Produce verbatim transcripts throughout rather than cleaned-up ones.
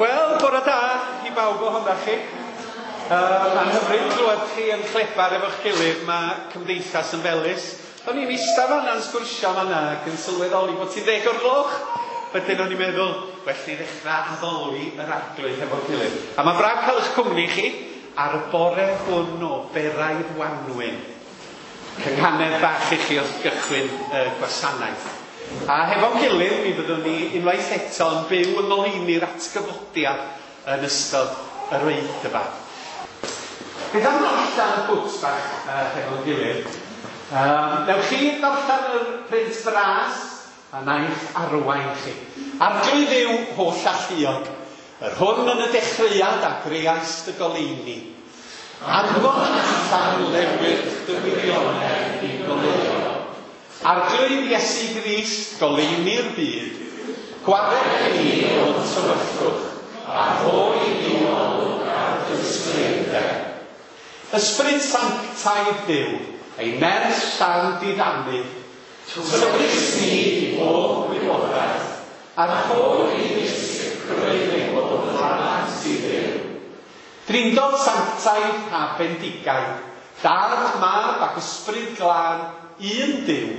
Wel, bore da i bawb ohonoch chi. Uh, Mae'n hyfryd clywed chi yn clebar efo'ch gilydd, mae cymdeithas yn felys. O'n i'n eistedd fan'na yn sgwrsio fan'na ac yn sylweddoli bod ti'n ddeg o'r gloch. Wedyn o'n i'n meddwl, well ni ddechrau addoli yr Arglwydd efo'n gilydd. A mae'n braf cael eich cwmni chi ar y bore hwn o beraidd wanwyn. Cynghanedd bach i chi wrth gychwyn y gwasanaeth. A hefo'n gilydd, mi fyddwn ni unwaith eto yn byw yng ngoleuni'r atgyfodiad yn ystod yr oedfa. Beth am ddarllen y bwt bach uh, hefo'n gilydd? Um, newch chi ddarllen yr print bras a naeth arwain chi. Arglwydd yw holl alluog, yr hwn yn y dechreuad a greaist y goleuni. Anfon allan lewyrch dy wirionedd i goleuo. Arglwydd Iesu Grist, goleuni'r byd, gwared ni o'r tywyllwch, a rhoi i ni olwg ar dy ysbryd. Ysbryd sanctaidd Duw, ei nerth llawn diddanu, tywys ni i bob gwybodaeth, a rhoi i ni sicrwydd ein bod yn plant i Dduw. Drindod sanctaidd a bendigaid, Dad, Mab ac Ysbryd Glân, un Duw,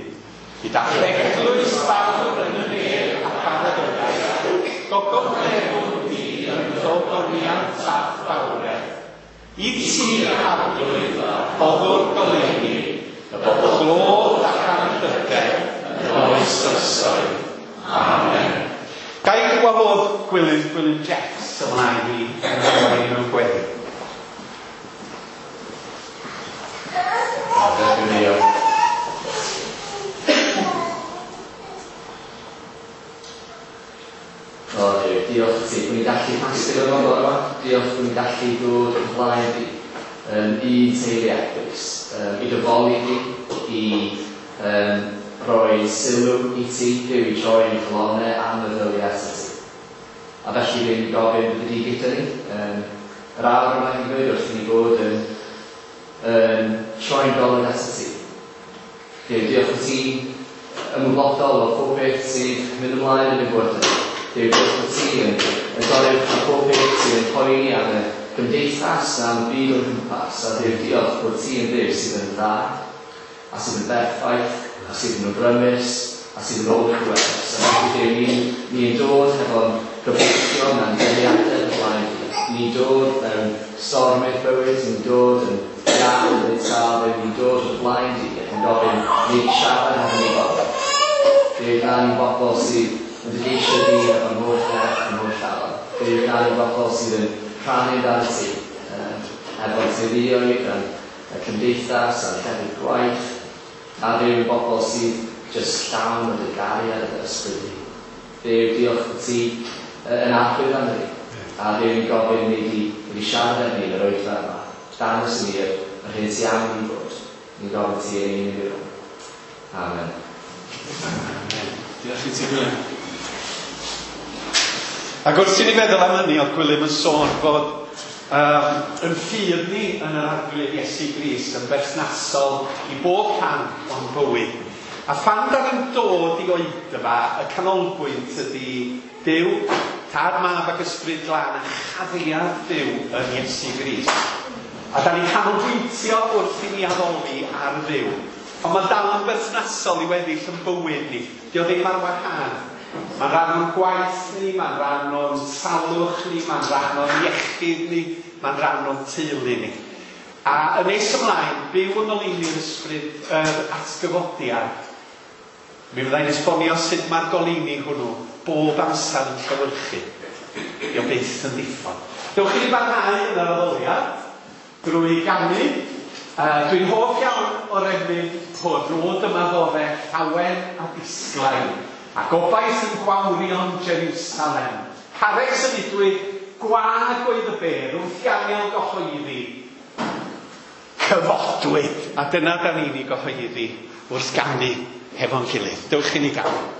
gyda eglwys fawr yn y nef ac ar y ddaear, gogoneddwn di yn gogoniant a'th fawredd. I ti, Arglwydd, boddwr goleuni, y bobl glod ac anrhydedd yn oes oesoedd. Amen. Ga i wahodd Gwilym, Gwilym Jeffs ymlaen i arwain mewn gweddi. O Duw, diolch i ti bod ni'n gallu casglu yma bore yma. Diolch bod ni'n gallu dod o flaen di yn un teulu eglwys, um, i dyfoli di, i um, roi sylw i ti, Duw, i droi ein calonnau a meddyliau at ti. A felly dwi'n gofyn byddi di gyda ni. Um, yr awr yma hefyd wrth i ni fod yn, yn troi'n golwg at ti. Duw, diolch i ti ymwybodol o pob beth sydd mynd ymlaen yn y bywyd. Duw, diolch bod ti yn, yn goruwch ar pob beth sydd yn poeni am y gymdeithas a'n byd o'n cwmpas. A Duw, diolch bod ti yn Dduw sydd yn dda, a sydd yn berffaith, a sydd yn grymus, a sydd yn hollbwerus. A felly Duw, ni'n ni dod hefo'n gobeithion a'n dyheadau o flaen di. Ni'n dod mewn stormydd bywyd, ni'n dod yn iach yn ei sâl, ni'n dod o flaen di ac yn gofyn ni siarad efo ni bobl. Duw, gna ni'n bobl sydd yn dy geisio di efo'n holl nerth a'n holl alon. Duw, gna ni'n bobl sydd yn rhannu amdano ti, um, efo'n teuluoedd, a'n y cymdeithas, a'n llefydd gwaith, a Duw yn bobl sydd jyst llawn o dy gariad a dy ysbryd di. Duw, diolch bod ti yn arglwydd arno ni. A Duw, ni'n gofyn ni di, wedi siarad efo ni yn yr oedfa yma. Dangos i ni yr, yr hyn ti am i ni fod. Ni'n gofyn ti yn un i. Amen. Amen. Diolch i ti, Gwilym. Ac wrth i ni feddwl am hynny, oedd Gwilym yn sôn fod um, yn ffydd ni yn yr Arglwydd Iesu Grist yn berthnasol i bob rhan o'n bywyd. A phan da ni'n dod i oedfa, y canolbwynt ydy Duw, Tad, Mab ac Ysbryd Glân a chariad Duw yn Iesu Grist. A da ni'n canolbwyntio wrth i ni addoli ar Dduw. Ond mae dal yn berthnasol i weddill yn bywyd ni. Dio ddim ar wahân. Mae'n rhan o'n gwaith ni, mae'n rhan o'n salwch ni, mae'n rhan o'n iechyd ni, mae'n rhan o'n teulu ni. A yn nes ymlaen, byw yng ngoleuni'r ysbryd yr atgyfodiad, mi fyddai'n esbonio sut mae'r goleuni hwnnw bob amser yn llewyrchu. Dio byth yn ddiffodd. Dewch i ni barhau yn yr addoliad drwy ganu. Uh, dwi'n hoff iawn o'r emyn hwn, rôd yma fore, llawen a disglair, a gobaith yn gwawrio'n Jerusalem. Carreg symudwyd, gwag oedd y bedd, wrth i angel gyhoeddi, cyfodwyd. A dyna da ni'n ei gyhoeddi wrth ganu hefo'n gilydd. Dewch i ni ganu.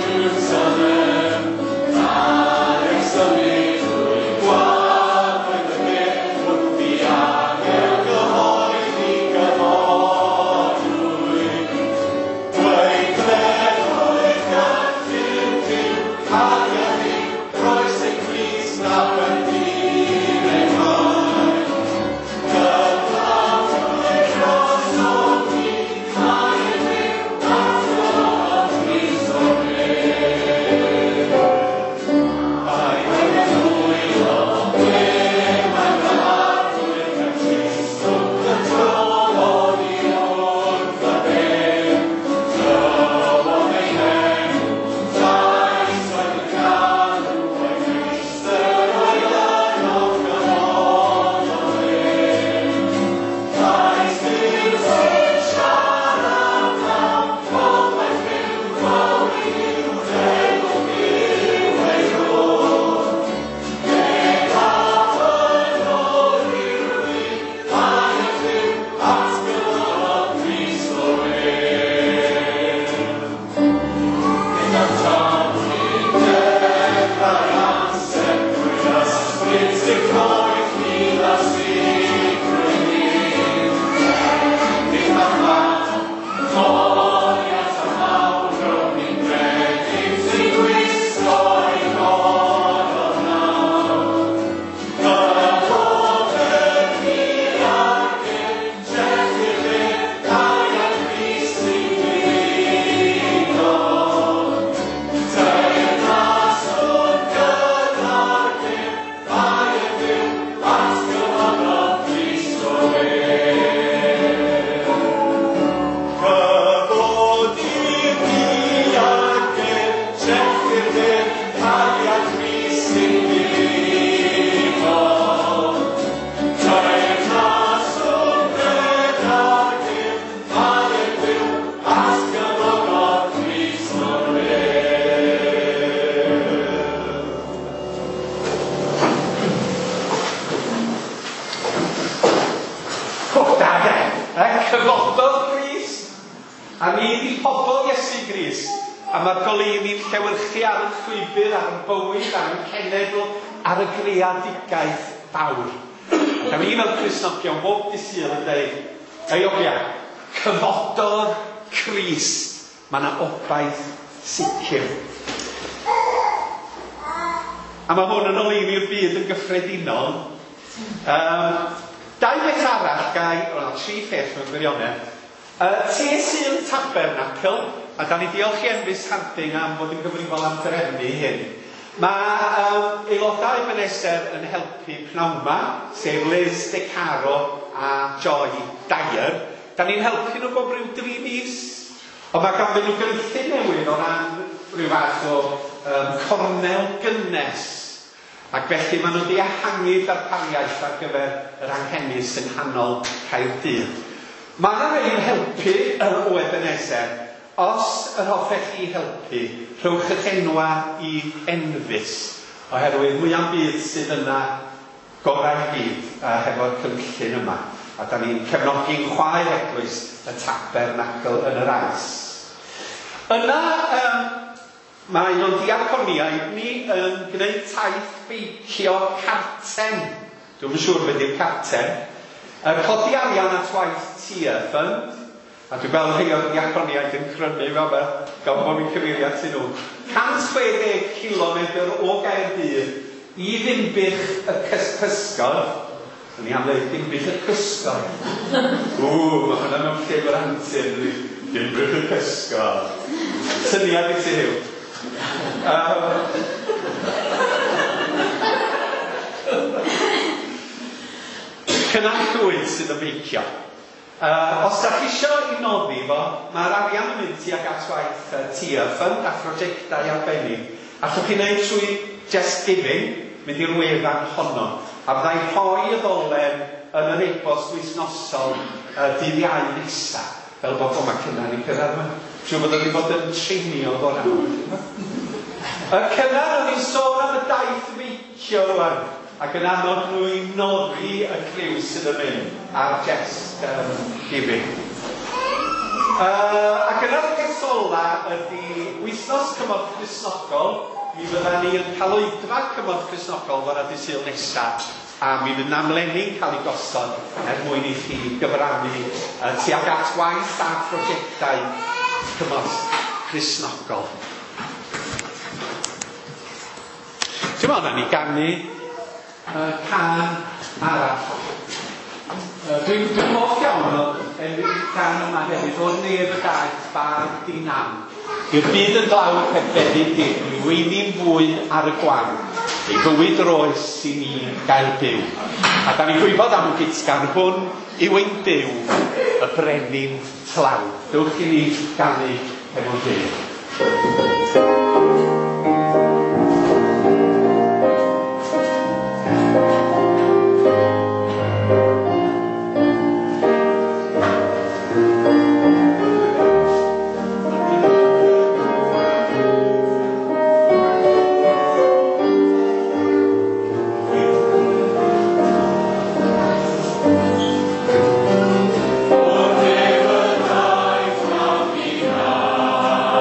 Jerusalem. Cyfododd Grist, a ni 'di pobl Iesu Grist, a mae'r goleuni'n llewyrchu ar y llwybr, ar y bywyd, ar y cenedl, ar y greadigaeth fawr. A ni fel Cristnogion bob dydd Sul yn dweud, ei ogia, cyfododd Crist, mae yna obaith sicr. A mae hwn yn oleuni'r byd yn gyffredinol. Um, dau beth arall, gai, o, tri pheth mewn gwirionedd. Uh, Te Sul Tabernacl, a da ni diolch i Enfys Harding am fod yn gyfrifol am drefnu hyn. Mae um, aelodau Ebenezer yn helpu pnawn 'ma, sef Liz DeCaro a Joy Dyer. Da ni'n helpu nhw bob rhyw dri mis. Ond mae ganddyn nhw gynllun newydd o ran rhyw fath o um, cornel gynnes. Ac felly maen nhw wedi ehangu darpariaeth ar gyfer yr anghenus yng nghanol Caerdydd. Mae yna rhai yn helpu o Ebenezer. Os yr hoffech chi helpu, rhowch eich enwa i Enfys, oherwydd mwya'm byd sydd yna gorau'r byd uh, hefo'r cynllun yma. A da ni'n cefnogi'n chwaer eglwys y Tabernacl yn yr Ais. Yna, um, mae un o'n diaconiaid ni yn gwneud taith beicio carten. Dwi'm yn siŵr beth yw'r carten. Uh, codi arian at waith Tear Fund. A dwi'n gweld rhai o'r diaconiaid yn crynu fel fe, gan bod fi'n cyfeirio atyn nhw. cant chwe deg kilometr o Gaerdydd i Ddinbych y Cysgod. O'n i am dweud Dinbych y Cysgod. Ww, mae hwnna mewn llyfr antur. Dinbych y Cysgod. Syniad i ti, Huw. Um, Cynan Llwyd sydd yn beicio. Uh, os da chi isio i noddi fo, mae'r arian yn mynd tuag at waith uh, Tear Fund a phrosiectau arbennig. Allwch chi wneud trwy Just Giving, mynd i'r wefan honno. A fyddai rhoi y ddolen yn yr e-bost wythnosol uh, dydd Iau nesa, fel bod o mae Cynan i cyrraedd yma. Siŵr bod wedi bod yn treinio fo'r awr. Y Cynan o'n i'n sôn am y daith feicio rwan, ac yn annog nhw i noddi y criw sydd yn mynd ar Just um, Giving. Uh, ac yna'r peth ola ydy wythnos Cymorth Cristnogol. Mi fydda ni yn cael oedfa Cymorth Cristnogol fora dydd Sul nesa, a mi fydd amlenni'n cael ei gosod er mwyn i chi gyfrannu uh, tuag at waith a phrosiectau Cymorth Cristnogol. Ti'n meddwl, na ni ganu uh, cân arall. Uh, Dwi'n dwi hoff iawn o enw cân yma hefyd, o'r nef y daeth bab di-nam. I'r byd yn dlawd heb feddu dim, i weini'n fwyn ar y gwan, ei fywyd roes i ni gael byw. A da ni'n gwybod am y gytgan hwn yw ein Duw, y brenin tlawd. Dewch i ni ganu hefo'n gilydd. O'r nef y daeth mab i nam.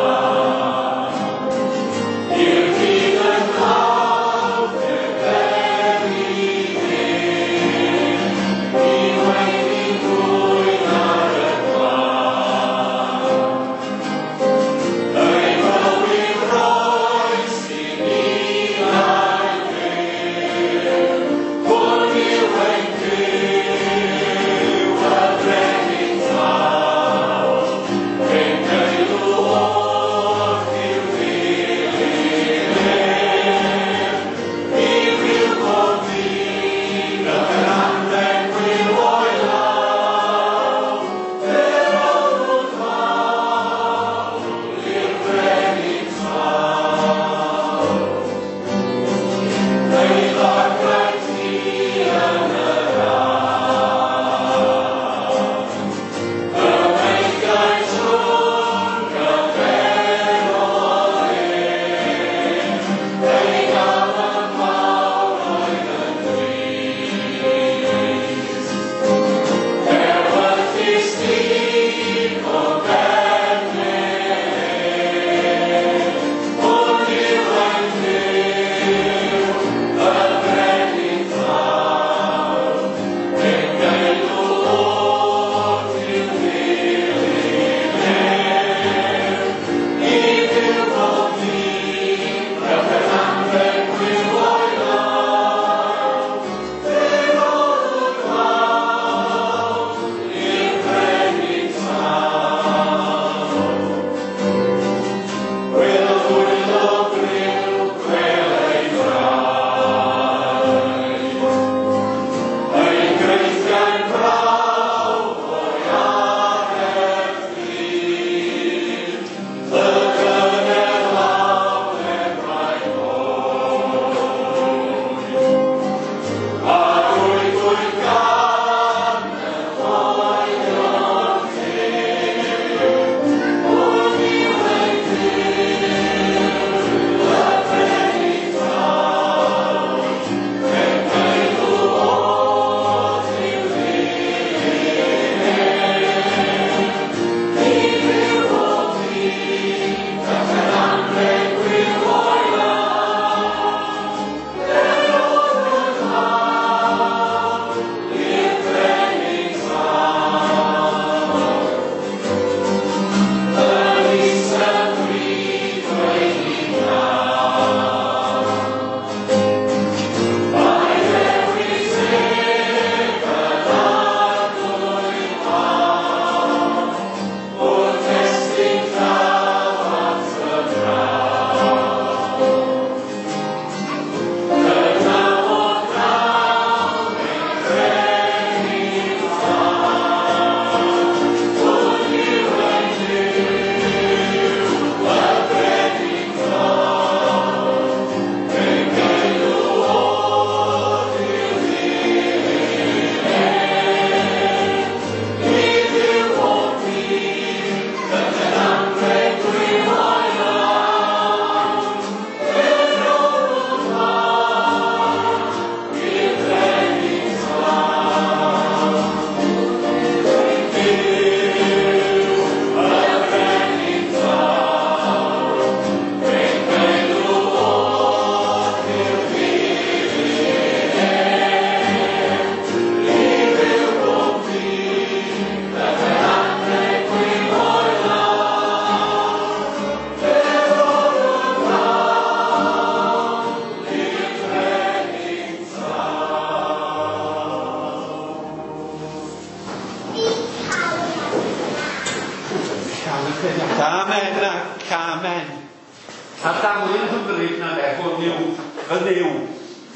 hwn yw fy Nuw,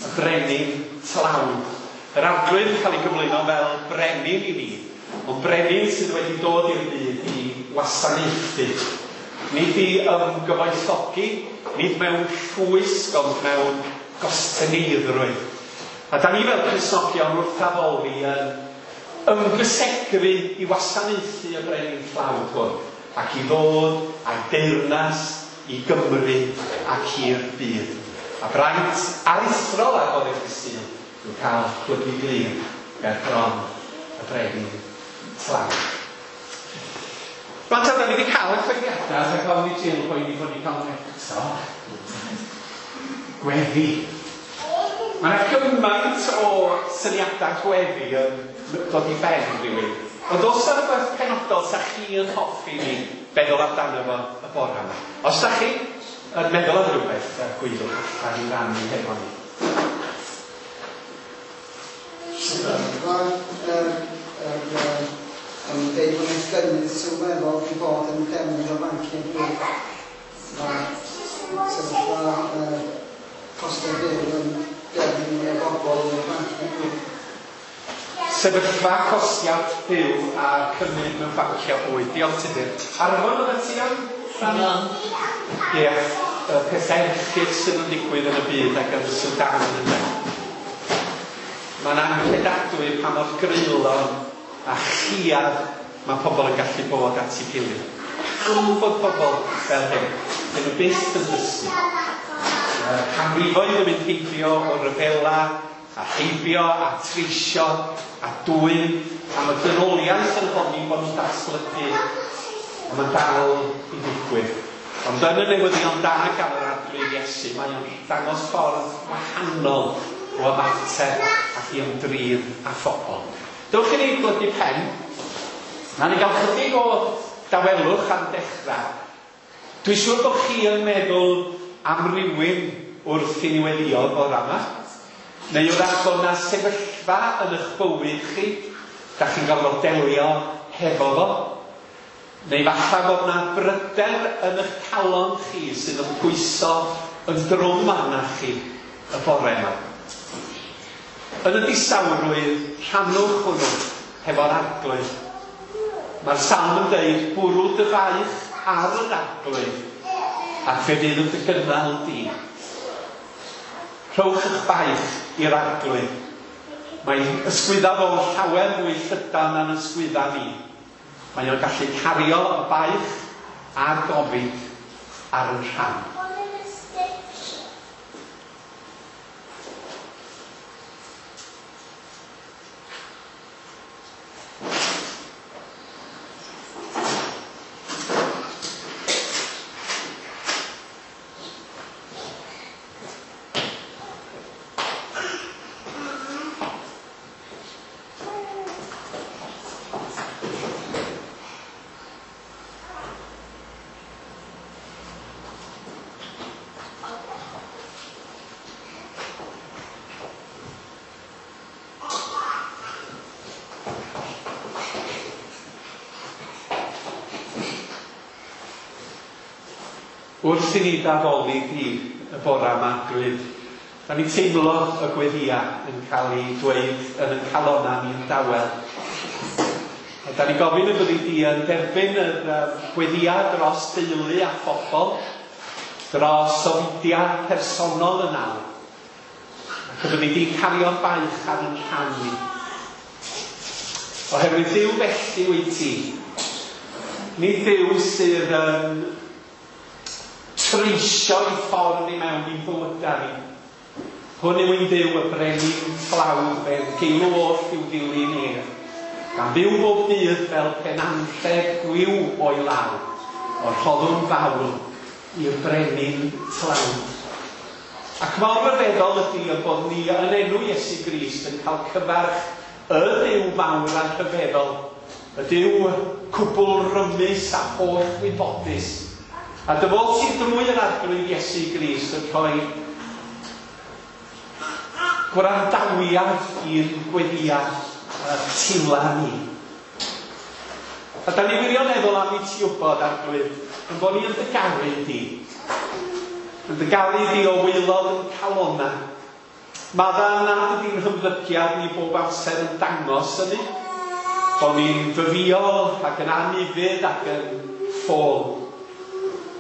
y brenin tlawd. Yr Arglwydd yn cael ei gyflwyno fel brenin i ni, ond brenin sydd wedi dod i'r byd i wasanaethu. Nid i ymgyfoethogi, nid mewn llwysg, ond mewn gostyngeiddrwydd. A da ni fel Cristnogion wrth addoli yn ymgysegru i wasanaethu y brenin tlawd hwn, ac i ddod a'i deyrnas i Gymru ac i'r byd. A braint aruthrol ar fore dydd Sul yw cael plygu glin ger bron y brenin tlawd. Rwan ta, da ni wedi cael y cyhoeddiadau, rhag ofn i Jill boeni bod ni'n cael nhw eto. Gweddi. Mae yna gymaint o syniadau gweddi yn dod i ben rhywun. Ond oes yna rhywbeth penodol sa chi yn hoffi ni feddwl amdano fo y bore yma? Os da chi yn meddwl am rhywbeth, gwyddwch allan i rannu hefo ni. Sefyllfa yr yr yn deud bod yna gynnydd sylweddol wedi bod yn defnydd o banciau bwyd. Mae sefyllfa yy costau byw yn gyrru mwy o bobl i'r banciau bwyd. Sefyllfa costiad byw a cynnydd mewn banciau bwyd. Diolch Tudur. Arfon oeddet ti am? Ie, y pethau erchyll sydd yn digwydd yn y byd ac yn Sudan yna. Mae'n anghredadwy pa mor greulon a chiad mae pobl yn gallu bod at ei gilydd. Pam bod pobl fel hyn? Dyn nhw byth yn dysgu. Canrifoedd yn mynd heibio o ryfela, a heibio, a treisio, a dwyn, a mae dynoliaeth yn honni bod nhw'n datblygu, a mae'n dal i ddigwydd. Ond yn y newyddion da gan yr Arglwydd Iesu, mae o'n dangos ffordd wahanol o ymateb ac i ymdrin â phobl. Dewch i ni blygu pen. Na ni gael chydig o dawelwch am dechrau. Dwi'n siŵr bod chi yn meddwl am rywun wrth i ni weddio bore yma. Neu wrach bod yna sefyllfa yn eich bywyd chi, da chi'n gorfod delio hefo fo. Neu falle bod yna bryder yn eich calon chi sydd yn pwyso yn drwm arnach chi y bore yma. Yn y distawrwydd, rhannwch hwnnw hefo'r Arglwydd. Mae'r salm yn dweud, bwrw dy faich ar yr Arglwydd, ac fe fydd yn dy gynnal di. Rhowch eich baich i'r Arglwydd. Mae ysgwydda fo'n llawer mwy llydan na'n ysgwydda ni. Mae o'n gallu cario y baich a'r gofid ar yn rhan. Wrth i ni daddoli di y bore yma, Arglwydd, da ni'n teimlo y gweddia yn cael ei dweud yn ein calonnau ni'n dawel. A da ni'n gofyn y byddi di yn derbyn yr gweddia dros deulu a phobl, dros ofidiau personol yn awr. Ac y byddi di'n cario'r baich ar ein rhan ni. Oherwydd Duw felly wyt ti. Nid Duw sydd yn treisio i ffordd i mewn i'n bywydau ni. Hwn yw ein Duw y brenin tlawd fel geilw oll i'w ddilyn ef. Gan fyw bob dydd fel penanrheg gwiw o'i law, o'r rhoddwn fawl i'r brenin tlawd. Ac mor ryfeddol ydy y bod ni yn enw Iesu Grist yn cael cyfarch y Duw mawr a rhyfeddol, y Duw cwbl rymus a holl wybodus. A dy fod ti drwy yr Arglwydd Iesu Grist yn rhoi gwrandawiad i'r gweddiad y tila ni. A da ni wirioneddol am i ti wybod, Arglwydd, yn bod ni yn dy garu di. Yn dy garu di o waelod yn calona. Madda nad ydy'n hymddygiad ni bob amser yn dangos hynny. Bod ni'n fyfïol ac yn anufudd ac yn ffôl.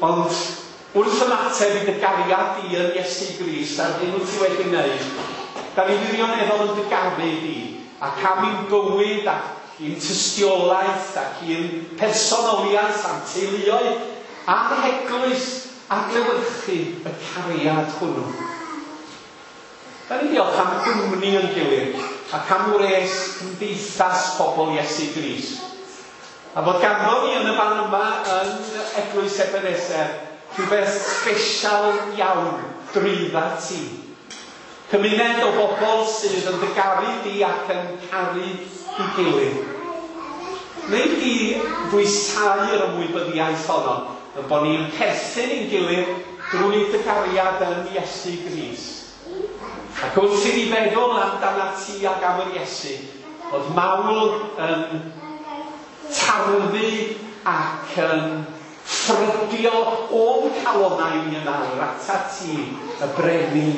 Ond wrth ymateb i dy gariad di yn Iesu Grist a'r hyn wyt ti wedi wneud, da ni wirioneddol yn dy garu di, ac am i'n bywyd ac i'n tystiolaeth ac i'n personoliaeth a'n teuluoedd a'n heglwys adlewyrchu y cariad hwnnw. Da ni diolch am gwmni yn gilydd ac am wres cymdeithas pobl Iesu Grist. A bod ganddo ni yn y fan yma yn Eglwys Ebeneser rhywbeth special iawn drwydda ti. Cymuned o bobl sydd yn dy garu di ac yn caru i gilydd. Neu di ddwysáu'r ymwybyddiaeth honno, yn bod ni'n perthyn i'n gilydd drwy dy gariad yn Iesu Grist. Ac wrth i ni feddwl amdana ti ac am yr Iesu, bod mawl yn tarfu ac yn ffrydio o'n calonnau ni yn awr atat ti, y brenin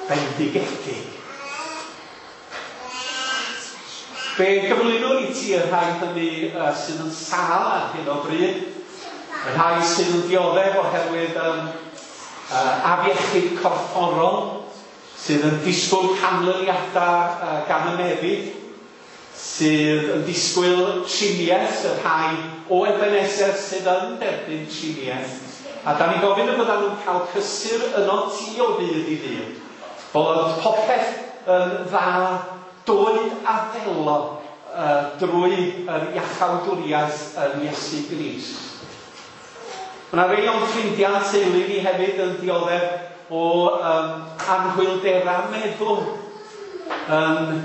bendigedig. Fe gyflwynwn i ti y rhai hynny uh, sydd yn sâl ar hyn o bryd, y rhai sydd yn dioddef oherwydd um, uh, afiechyd corfforol, sydd yn disgwyl canlyniadau uh, gan y meddyg, sydd yn disgwyl triniaeth, y rhai o Ebeneser sydd yn derbyn triniaeth. A da ni'n gofyn y byddan nhw'n cael cysur yno ti o ddydd i ddydd. Bod popeth yn dda, dwyd a ddelo uh, drwy yr iachawdwriaeth yn Iesu Grist. Mae yna rei o'n ffrindiau teulu ni hefyd yn dioddef o um, anhwylderau meddwl, yn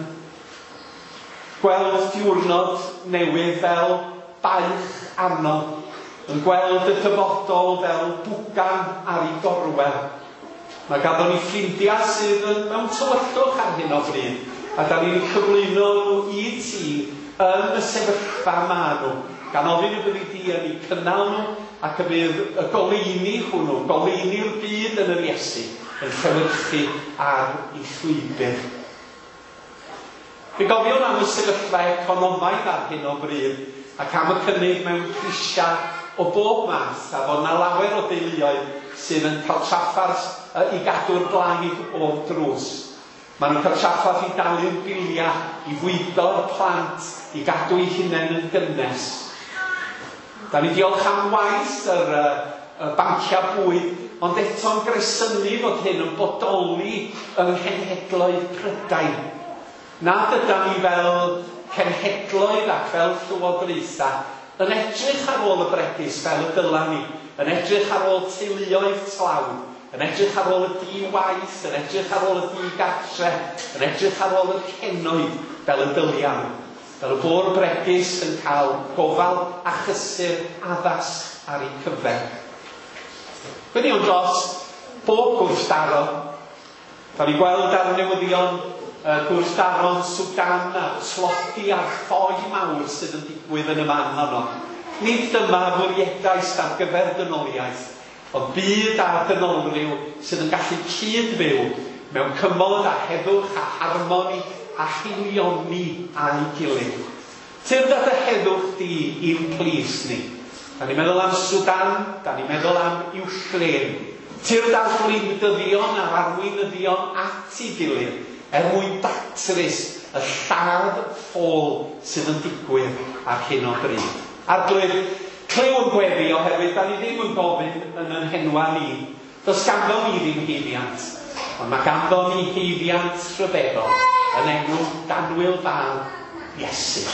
gweld diwrnod newydd fel baich arno, yn gweld y dyfodol fel bwgan ar ei gorwel. Mae ganddo ni ffrindiau sydd yn mewn tywyllwch ar hyn o bryd, a da ni'n cyflwyno nhw i ti yn y sefyllfa ma nhw, gan ofyn y byddi di yn eu cynnal nhw, ac y bydd y goleuni hwnnw, goleuni'r byd yn yr Iesu, yn llewyrchu ar ei llwybr. Fe gofiwn am y sefyllfa economaidd ar hyn o bryd, ac am y cynnydd mewn prisiau o bob math, a fod na lawer o deuluoedd sydd yn cael trafferth i gadw'r blaid o'r drws. Maen nhw'n cael trafferth i dalu'r biliau, i fwydo'r plant, i gadw eu hunain yn gynnes. Da ni diolch am waith yr, y banciau bwyd, ond eto'n gresynu fod hyn yn bodoli yng nghenhedloedd Prydain. Nad ydan ni fel cenhedloedd ac fel llywodraethau yn edrych ar ôl y bregus fel y dyla ni, yn edrych ar ôl teuluoedd tlawd, yn edrych ar ôl y di-waith, yn edrych ar ôl y di-gartre, yn edrych ar ôl y henoed fel y dylia nhw. Fel y bo'r bregus yn cael gofal a chysur addas ar eu cyfer. Gweddïwn dros bob gwrthdaro. Da ni gweld ar y newyddion uh, gwrthdaro'n Sudan a tlodi a'r ffoi mawr sydd yn digwydd yn y man honno. Nid dyma fwriedais ar gyfer dynoliaeth, ond byd a dynolryw sydd yn gallu cyd-fyw mewn cymod a heddwch a harmoni a haelioni â'i gilydd. Tyrd at y heddwch di i'n plith ni. Da ni'n meddwl am Sudan, da ni'n meddwl am Iwcrain. Tyrd ar wleidyddion a'r arweinyddion at ei gilydd er mwyn datrys y lladd ffôl sydd yn digwydd ar hyn o bryd. Arglwydd, clyw yn gweddi oherwydd da ni ddim yn gofyn yn yn henwa ni. Does ganddo ni ddim haeddiant, ond mae ganddo ni haeddiant rhyfeddol yn enw danwyl fab Iesu.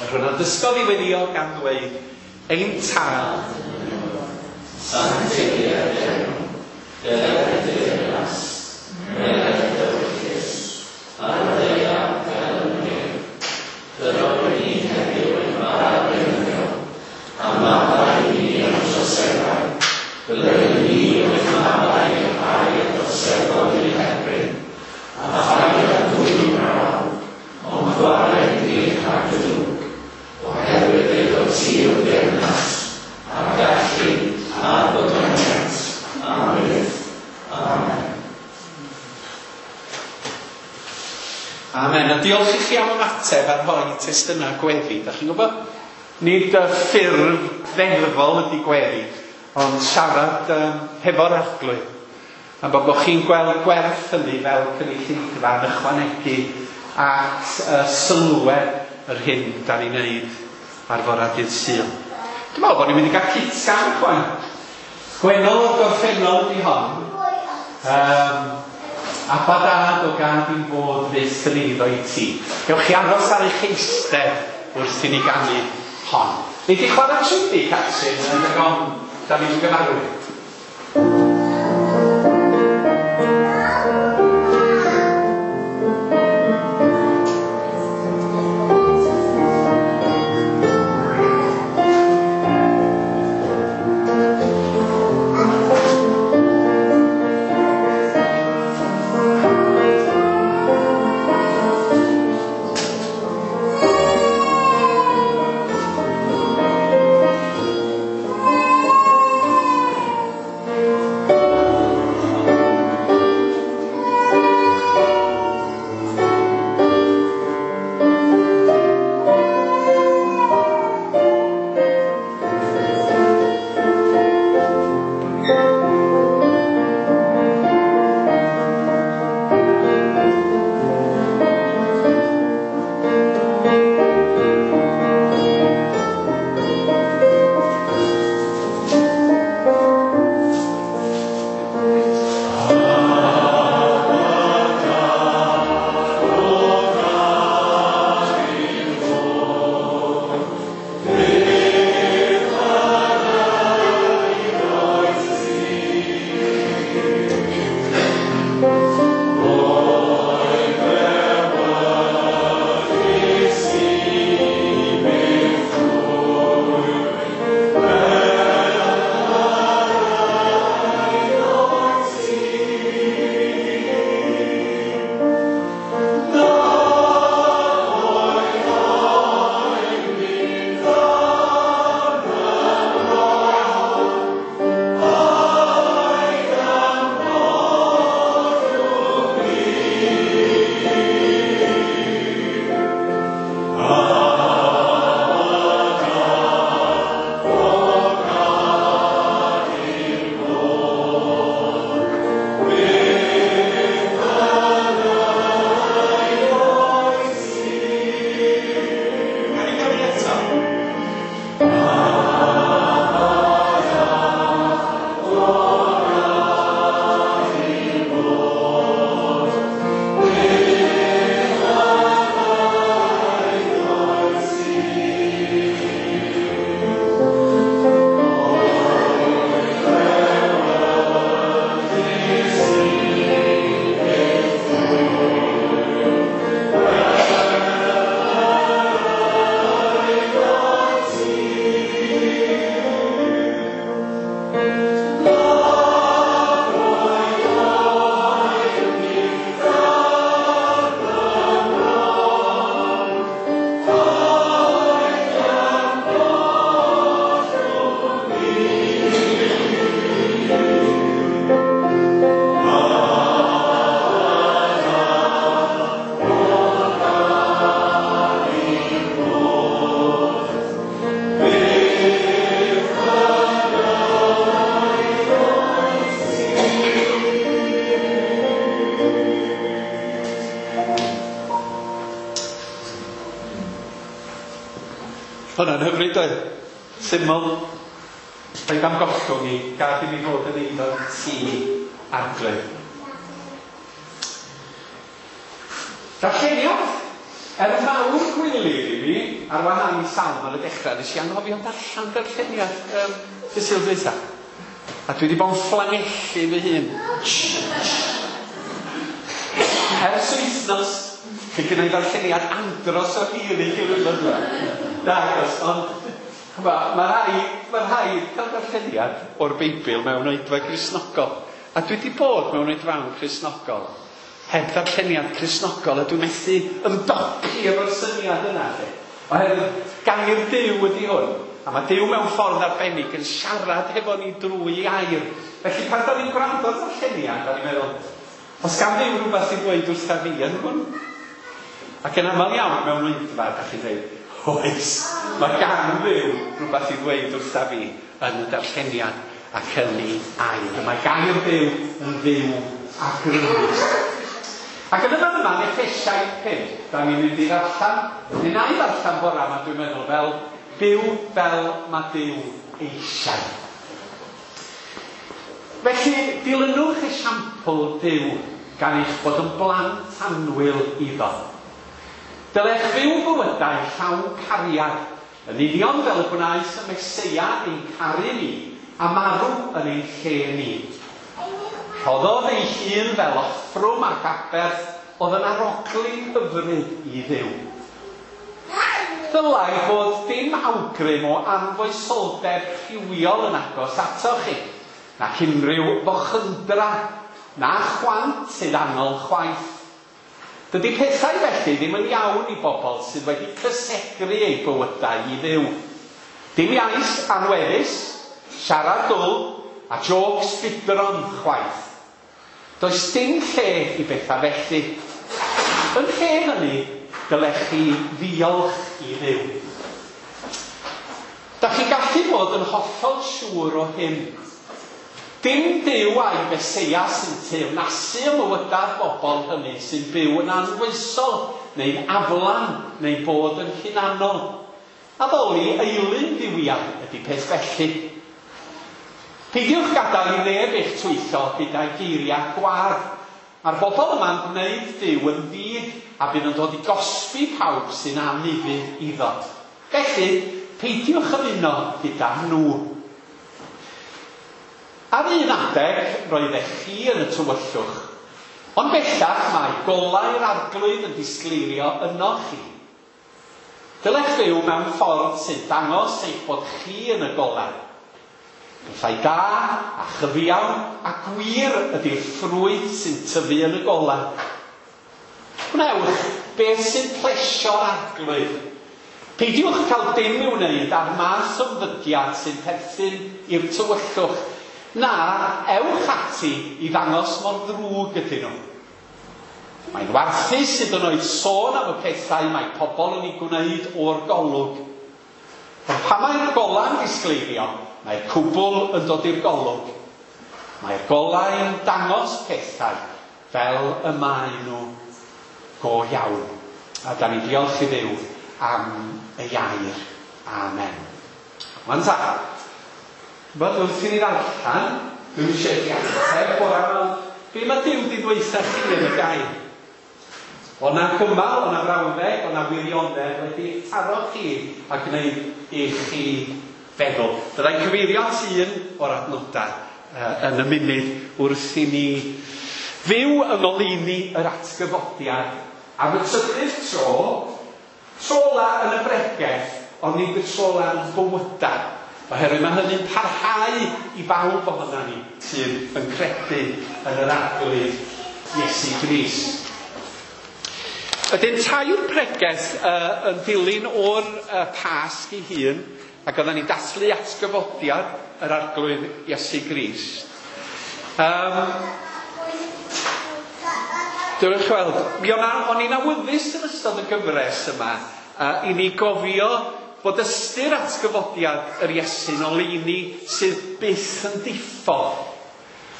Yr hwn a dysgodd i weddio gan ddweud, ein Tad, sancteiddier dy enw, dyled dy deyrnas, myned dy ewyllys, ar y ddaear fel yn y nef. Dyro i ni heddiw ein bara beunyddiol, a maddau i ni ein troseddau, fel yr ydym ni wedi maddau i'r rhai a droseddodd i'n herbyn, a phaid â dwyn braw, ond gwared ni rhag y drwg, oherwydd eiddo ti yw'r deyrnas, a'r gallu, a'r gogoniant, am byth. Amen. A diolch i chi am ymateb ar rhoi testunau gweddi. Da chi'n gwybod? Nid y ffurf ddeddfol ydy gweddi, ond siarad um, hefo'r Arglwydd. A bod bod chi'n gweld gwerth hynny fel cynulleidfa yn ychwanegu at uh, sylwedd yr hyn da ni'n neud ar fora dydd Sul. Dwi'n meddwl bod ni'n mynd i gael cytgan chwaith. Gwennol o'r gorffennol ydi hon. Um, Abba Dad o gad i'n fod fyth yn eiddo i ti. Gewch chi aros ar eich eistedd wrth i ni ganu hon. Nei di chwarae trwyddi, Catrin, yn y gom, da ni'n gyfarwydd. Hwna'n hyfryd oedd. Syml. Rhaid am gollwng i gad i mi fod yn eiddo ti Arglwydd. Darlleniad. Er mawr gwilydd i mi, ar wahân i salm ar y dechrau, nes i anghofio darllen darlleniad um, dy Sul dwytha. A dwi wedi bod yn fflangellu fy hun. Ers wythnos, fe gynna i ddarlleniad andros o hir i chi wythnos yma. Nagos, ond mae rhaid, mae rhaid cael darlleniad o'r Beibl mewn oedfa Gristnogol. A dwi wedi bod mewn oedfaon Cristnogol heb ddarlleniad Cristnogol, a dwi'n methu ymdopi efo'r syniad yna. Lle. Oherwydd gair Duw ydy hwn. A mae Duw mewn ffordd arbennig yn siarad hefo ni drwy air. Felly pan da ni'n gwrando ar ddarlleniad, da ni'n meddwl, os gan Dduw rhywbeth i ddweud wrtha fi yn hwn? Ac yn aml iawn mewn oedfa, da chi'n dweud, oes, mae gan Dduw rhywbeth i ddweud wrtha fi yn y darlleniad ac yn ei air. Mae gair Duw yn fyw a grymus. Ac yn y fan yma, yn Effesiaid pump, da ni'n mynd i ddarllen, neu na i ddarllen bora yma, dwi'n meddwl, fel byw fel mae Duw eisiau. Felly, dilynwch esiampl Duw gan eich bod yn blant annwyl iddo. Dylech fyw bywydau llawn cariad, yn union fel y gwnaeth y Meseia ein caru ni a marw yn ein lle ni. Rhoddodd ei hun fel offrwm ac aberth oedd yn arogli hyfryd i Dduw. Dylai fod dim awgrym o anfoesoldeb rhywiol yn agos atoch chi, nac unrhyw fochydra, na chwant sydd anol chwaith. Dydy pethau felly ddim yn iawn i bobl sydd wedi cysegru eu bywydau i Dduw. Dim iaith anweddus, siarad dwl a jôcs budron chwaith. Does dim lle i bethau felly. Yn lle hynny, dylech chi ddiolch i Dduw. Da chi gallu bod yn hollol siŵr o hyn. Dim Duw a'i Meseia sy'n teyrnasu ym mywydau'r bobl hynny sy'n byw yn anfoesol, neu'n aflan, neu'n bod yn hunanol. Addoli eilun dduwiau ydy peth felly. Peidiwch gadael i neb eich twyllo gyda'i geiriau gwadd. Mae'r bobl yma'n gwneud Duw yn ddig a bydd yn dod i gosbi pawb sy'n anufudd iddo. Felly, peidiwch ymuno gyda nhw. Ar un adeg, roeddech chi yn y tywyllwch, ond bellach mae golau'r Arglwydd yn disgleirio ynoch chi. Dylech fyw mewn ffordd sy'n dangos eich bod chi yn y golau. Pethau da a chyfiawn a gwir ydy'r ffrwyth sy'n tyfu yn y golau. Gwnewch beth sy'n plesio'r Arglwydd. Peidiwch cael dim i'w wneud â'r math o ymddygiad sy'n perthyn i'r tywyllwch. Na, ewch ati i ddangos mor ddrwg ydyn nhw. Mae'n warthus hyd yn oed sôn am y pethau mae pobl yn ei gwneud o'r golwg. Ond pan mae'r golau'n disgleirio, mae'r cwbl yn dod i'r golwg. Mae'r golau yn dangos pethau fel y maen nhw go iawn. A da ni diolch i Dduw am ei air. Amen. Wan ta. Wel, wrth i ni ddarllen, dwi'n eisiau i chi ateb bora yma. Be mae Duw wedi dweutha chi yn y gair? O na gymal, o na frawddeg, o na wirionedd wedi taro chi a gwneud i chi feddwl. Byddai'n cyfeirio at un o'r adnodau uh, yn y munud wrth i ni fyw yng ngoleuni yr atgyfodiad. Am y trydydd tro, tro ola yn y bregeth, ond nid y tro ola yn bywydau. Oherwydd mae hynny'n parhau i bawb ohonan ni sydd yn credu yn yr Arglwydd Iesu Grist. Ydyn tair pregeth uh, yn dilyn o'r uh, Pasg ei hun, ac oedden ni'n dathlu atgyfodiad yr Arglwydd Iesu Grist. Um, Dwi'n weld, mi o'n i'n awyddus yn ystod y gyfres yma uh, i ni gofio bod ystyr atgyfodiad yr Iesu'n oleuni sydd byth yn diffodd.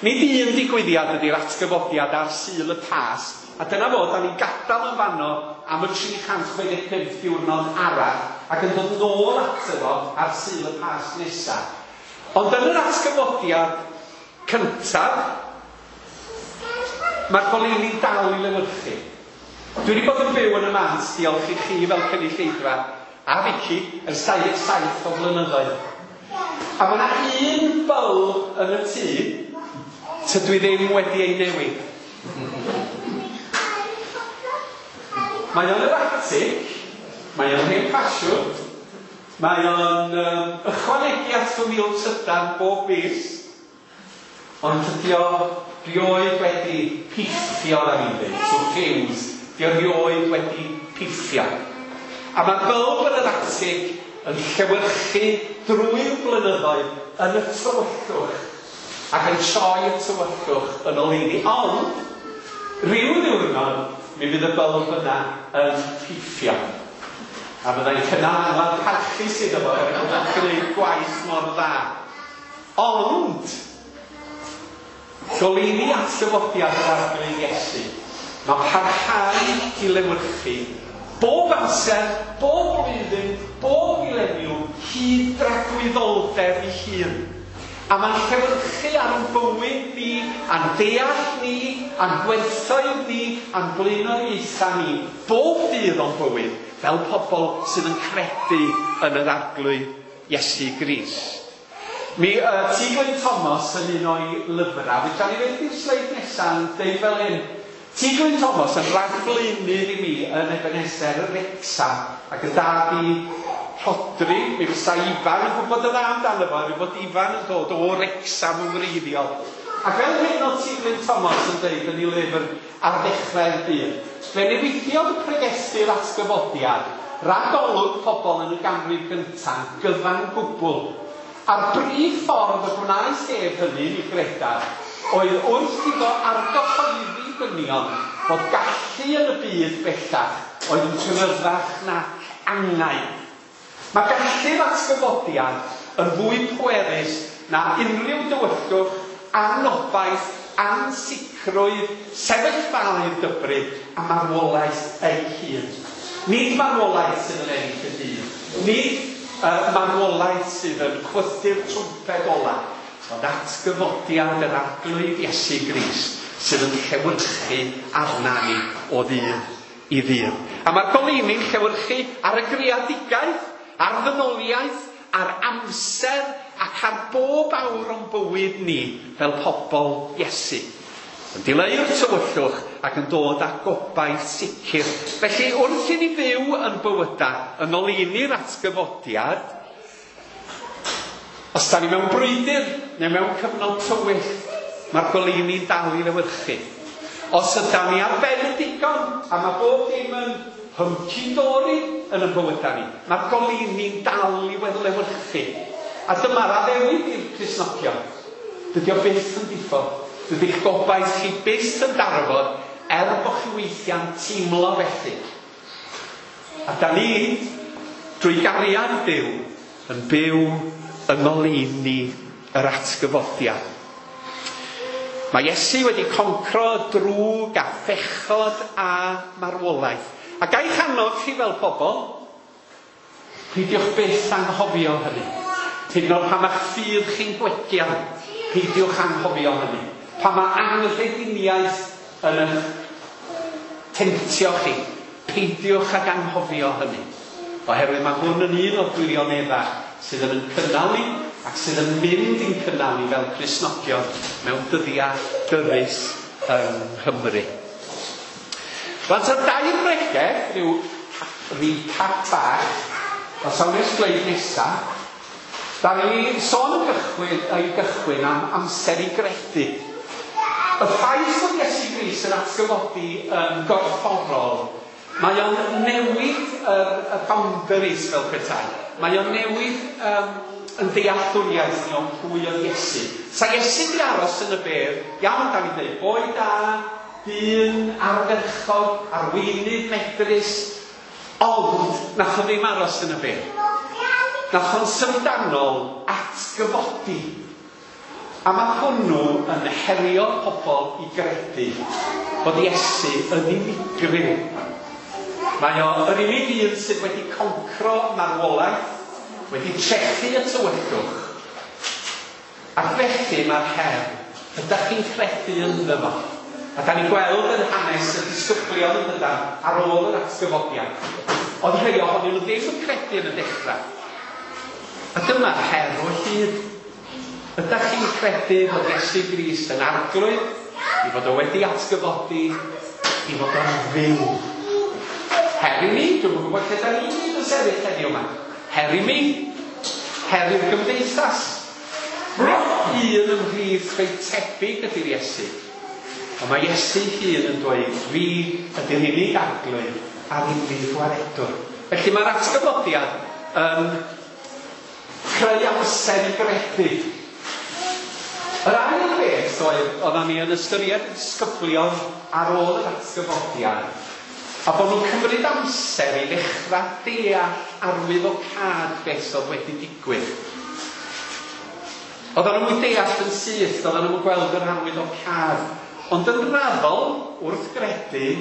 Nid un digwyddiad ydy'r atgyfodiad ar Sul y Pasg, a dyna fod, da ni'n gadael yn fanno am y tri chant chwe deg pump diwrnod arall ac yn dod nôl ato fo ar Sul y Pasg nesaf. Ond yn yr atgyfodiad cyntaf, mae'r goleuni'n dal i lewyrchu. Dwi wedi bod yn byw yn y mans, diolch i chi fel cynulleidfa, a Vicky, ers dau ddeg saith o flynyddoedd. A mae yna un bylb yn y tŷ tydw i ddim wedi ei newid. Mae o'n yr atig, mae o'n hen ffasiwn, mae o'n um, ychwanegu at fy mil trydan bob mis, ond tydi o rioed wedi piffio na fi'n dweud, so fuse, di o rioed wedi piffio. A mae'r bylb yn yr atig yn llewyrchu drwy'r blynyddoedd yn y tywyllwch ac yn troi y tywyllwch yn oleuni. Ond, rhyw ddiwrnod, mi fydd y bylb yna yn piffio. A fyddai'n cynnal angladd parchus iddo fo, er bod o'n gwneud gwaith mor dda. Ond, goleuni atgyfodiad yr Arglwydd Iesu, mae parhau i lewyrchu bob amser, bob blwyddyn, bob mileniwm, hyd dragwyddoldeb ei hun. A mae'n llewyrchu ar ein bywyd ni, a'n deall ni, a'n gwerthoedd ni, a'n blaenoriaethau ni, bob dydd o'n bywyd, fel pobl sydd yn credu yn yr Arglwydd Iesu Grist. Mi uh, T. Glyn Thomas yn un o'i lyfrau, fedra ni fynd i'r sleid nesaf yn deud fel hyn. T. Glyn Thomas yn rhagflaenydd i mi yn Ebenezer Wrecsam ac yn dad i Rhodri, mi fysa Ifan yn gwybod y dda amdano fo, mi fod Ifan yn dod o Wrecsam yn wreiddiol. Ac fel hyn oedd T. Glyn Thomas yn deud yn ei lyfr ar ddechrau'r byd, fe newidiodd y pregethu'r atgyfodiad ragolwg pobl yn y ganrif gyntaf gyfan gwbl. A'r brif ffordd y gwnaeth ef hynny, mi gredaf, oedd wrth iddo argyhoeddi dynion fod gallu yn y byd bellach oedd yn gryfach na angau. Mae gallu'r atgyfodiad yn fwy pwerus na unrhyw dywyllwch, anobaith, ansicrwydd, sefyllfaoedd dybryd a marwolaeth ei hun. Nid marwolaeth sydd yn ennill y dydd, nid uh, marwolaeth sydd yn chwythu'r trwmped ola, ond atgyfodiad yr Arglwydd Iesu Grist sydd yn llewyrchu arna ni o ddydd i ddydd. A mae'r goleuni'n llewyrchu ar y greadigaeth, ar ddynoliaeth, ar amser ac ar bob awr o'n bywyd ni fel pobl Iesu. Yn dileu'r tywyllwch ac yn dod â gobaith sicr. Felly wrth i ni fyw yn bywydau yn oleuni'r atgyfodiad, os da ni mewn brwydr neu mewn cyfnod tywyll, mae'r goleuni'n dal i lewyrchu. Os yda ni ar ben y digon, a mae bob dim yn hunky-dory yn y bywydau ni, mae'r goleuni'n dal i lewyrchu. A dyma'r addewid i'r Cristnogion. Dydy o byth yn diffodd. Dydy'ch gobaith chi byth yn darfod, er bod chi weithiau'n teimlo felly. A da ni, drwy gariad Duw, yn byw yng ngoleuni yr atgyfodiad. Mae Iesu wedi concro drwg a phechod a marwolaeth. A ga i'ch annog chi fel pobl, peidiwch byth anghofio hynny. Hyd yn oed pan ma'ch ffydd chi'n gwegian, peidiwch anghofio hynny. Pan mae anghrediniaeth yn eich temtio chi, peidiwch ag anghofio hynny. Oherwydd mae hwn yn un o'r gwirioneddau sydd yn cynnal ni ac sydd yn mynd i'n cynnal ni fel Cristnogion mewn dyddiau dyrys yng Nghymru. Rwan ta dair bregeth, rhyw recap bach, os awn i'r sleid nesaf, da ni sôn yn gychwyn, ei gychwyn am amser i gredu. Y ffaith bod Iesu Grist yn atgyfodi yn gorfforol, mae o'n newid y, y boundaries fel petai. Mae o'n newid um, yn dealltwriaeth ni o'n pwy oedd Iesu. Sa Iesu di aros yn y bedd, iawn da ni'n dweud, boi da, dyn ardderchog, arweinydd medrus, ond nath o ddim aros yn y bedd. Nath o'n syfrdanol atgyfodi. A mae hwnnw yn herio pobl i gredu bod Iesu yn unigryw. Mae o yr unig un sydd wedi concro marwolaeth, wedi trechu y tywyllwch. Ac felly mae'r her, ydych chi'n credu ynddo fo? A da ni'n gweld yn hanes y disgyblion yn dydan ar ôl yr atgyfodiad. Oedd rhai ohonyn nhw ddim yn credu yn y dechrau. A dyma'r her o hyd. Ydych chi'n credu fod Iesu Grist yn arglwydd, i fod o wedi atgyfodi, i fod o'n fyw? Her i mi, dwi'm yn gwybod lle da ni gyd yn sefyll heddiw yma. Her i mi, her i'r gymdeithas. Nid un ymhlith rhai tebyg ydy'r Iesu. Ond mae Iesu hun yn dweud, fi ydy'r unig arglwydd a'r unig gwaredwr. Felly mae'r atgyfodiad yn creu amser i gredu. Yr ail beth oedd, oeddan ni yn ystyried y disgyblion ar ôl yr atgyfodiad, a bod nhw'n cymryd amser i ddechrau deall arwyddocâd beth oedd wedi digwydd. Oeddan nhw'n deall yn syth, oeddan nhw'n gweld yr arwyddocâd, ond yn raddol, wrth gredu,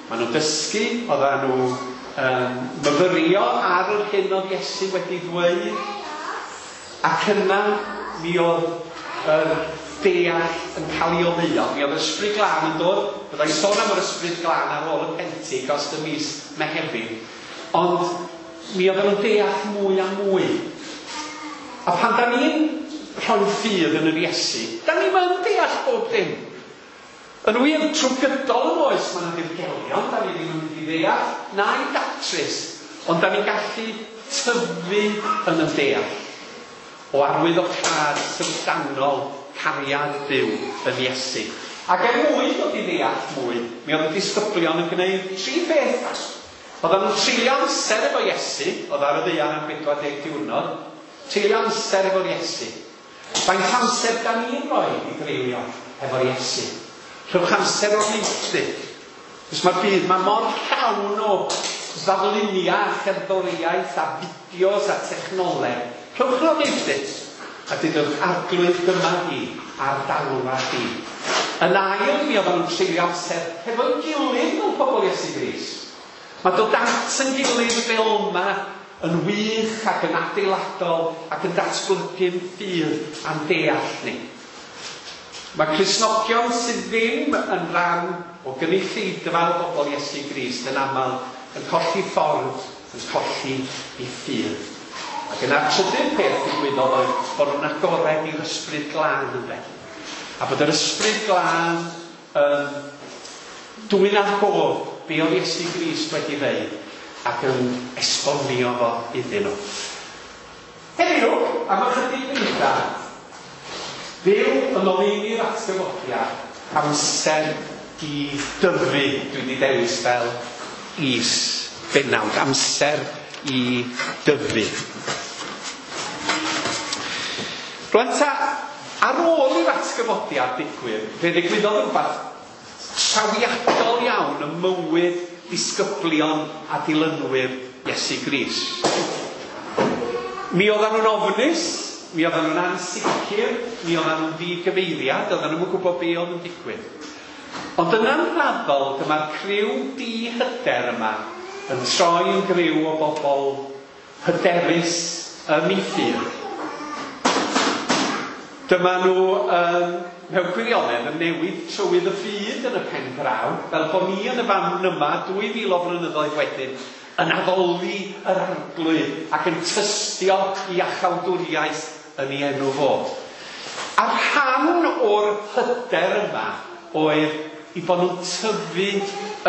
maen nhw'n dysgu, oeddan nhw um, myfyrio ar yr hyn oedd Iesu wedi ddweud, ac yna mi oedd yr deall yn cael ei oleuo. Mi oedd yr Ysbryd Glân yn dod. Byddai sôn am yr Ysbryd Glân ar ôl y Pentecost y mis Mehefin. Ond mi oedden nhw'n deall mwy a mwy. A pan da ni'n rhoi ffydd yn yr Iesu, da ni'n yn deall bob dim. Yn wir, trwy gydol yn oes, mae yna ddirgelion, da ni ddim yn mynd i ddeall, na'i datrys, ond da ni'n gallu tyfu yn y deall o arwyddocâd syfrdanol cariad Duw yn Iesu. Ac er mwyn dod i ddeall mwy, mi oedd y disgyblion yn gwneud tri beth. Oedden nhw'n treulio amser efo Iesu, oedd ar y ddaear am bedwar deg diwrnod, treulio amser efo'r Iesu. Faint amser da ni'n rhoi i dreulio efo'r Iesu? Rhowch amser o'r neilltu. Cos mae'r byd, mae mor llawn o ddarluniau a cherddoriaeth a fideos a technoleg. Rhowch nhw'n neilltu. A dydwch, Arglwydd, dyma di, a'r dalwa di. Yn ail, mi oedden nhw'n treulio amser hefo'i gilydd fel pobl Iesu Grist. Mae dod at yn gilydd fel yma yn wych ac yn adeiladol ac yn datblygu'n ffydd a'n deall ni. Mae Cristnogion sydd ddim yn rhan o gynulleidfa o bobl Iesu Grist yn aml yn colli ffordd, yn colli eu ffydd. Ac yna'r trydydd peth ddigwyddodd oedd bod nhw'n agored i'r Ysbryd Glân ynde. A bod yr Ysbryd Glân yn dwyn ar gof be oedd Iesu Grist wedi ddeud ac yn esbonio fo iddyn nhw. Heddiw, am ychydig funudau, Duw yn oleuni'r atgyfodiad, amser i dyfu, dwi wedi dewis fel is bennawd, amser i dyfu. Rwan ta, ar ôl i'r atgyfodiad digwydd, fe ddigwyddodd rhywbeth trawiadol iawn ym mywyd disgyblion a dilynwyr Iesu Grist. Mi oedden nhw'n ofnus, mi oedden nhw'n ansicr, mi oedden nhw'n ddigyfeiriad, oedden nhw'n gwybod be oedd yn digwydd. Ond yna'n raddol, dyma'r criw dihyder yma yn troi yn griw o bobl hyderus ym eu ffydd. Dyma nhw um, mewn gwirionedd yn newid trywydd y byd yn y pen draw, fel bod ni yn y fan yma dwy fil o flynyddoedd wedyn yn addoli yr Arglwydd ac yn tystio i iachawdwriaeth yn ei enw fo. A rhan o'r hyder yma oedd i bod nhw'n tyfu